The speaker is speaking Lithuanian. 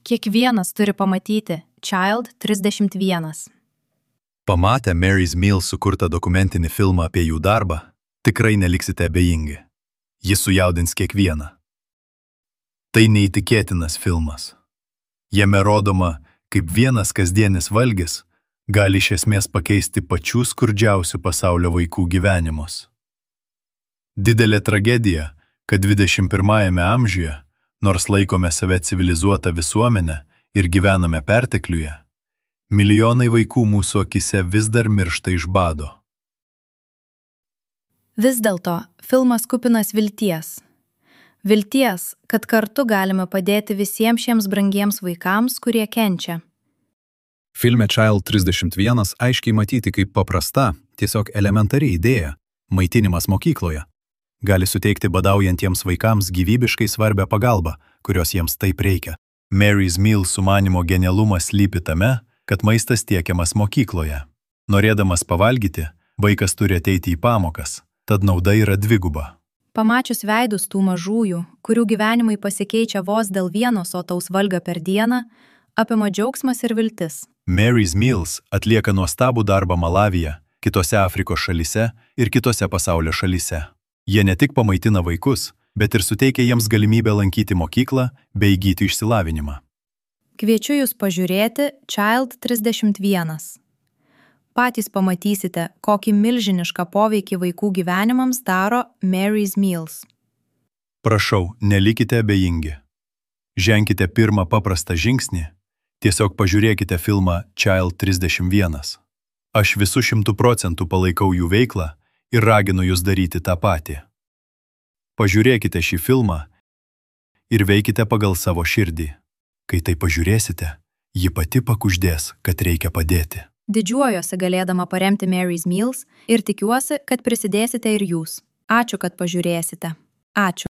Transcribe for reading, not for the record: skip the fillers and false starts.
Kiekvienas turi pamatyti Child 31. Pamatę Mary's Meal sukurtą dokumentinį filmą apie jų darbą, tikrai neliksite abejingi. Jis sujaudins kiekvieną. Tai neįtikėtinas filmas. Jame rodoma, kaip vienas kasdienis valgis gali iš esmės pakeisti pačių skurdžiausių pasaulio vaikų gyvenimus. Didelė tragedija, kad 21 amžiuje, nors laikome save civilizuotą visuomenę ir gyvename pertekliuje, milijonai vaikų mūsų akise vis dar miršta iš bado. Vis dėlto, filmas kupinas vilties. Vilties, kad kartu galime padėti visiems šiems brangiems vaikams, kurie kenčia. Filme Child 31 aiškiai matyti kaip paprasta, tiesiog elementari idėja – maitinimas mokykloje. Gali suteikti badaujantiems vaikams gyvybiškai svarbią pagalbą, kurios jiems taip reikia. Mary's Meal sumanymo genialumas slypi tame, kad maistas tiekiamas mokykloje. Norėdamas pavalgyti, vaikas turi ateiti į pamokas, tad nauda yra dviguba. Pamačius veidus tų mažųjų, kurių gyvenimai pasikeičia vos dėl vieno sotaus valgio per dieną, apima džiaugsmas ir viltis. Mary's Meals atlieka nuostabų darbą Malavyje, kitose Afrikos šalyse ir kitose pasaulio šalyse. Jie ne tik pamaitina vaikus, bet ir suteikia jiems galimybę lankyti mokyklą bei įgyti išsilavinimą. Kviečiu jūs pažiūrėti Child 31. Patys pamatysite, kokį milžinišką poveikį vaikų gyvenimams daro Mary's Meals. Prašau, nelikite abejingi. Ženkite pirmą paprastą žingsnį, tiesiog pažiūrėkite filmą Child 31. Aš visų 100% palaikau jų veiklą ir raginu jūs daryti tą patį. Pažiūrėkite šį filmą ir veikite pagal savo širdį. Kai tai pažiūrėsite, ji pati pakuždės, kad reikia padėti. Didžiuojuosi galėdama paremti Mary's Meals ir tikiuosi, kad prisidėsite ir jūs. Ačiū, kad pažiūrėsite. Ačiū.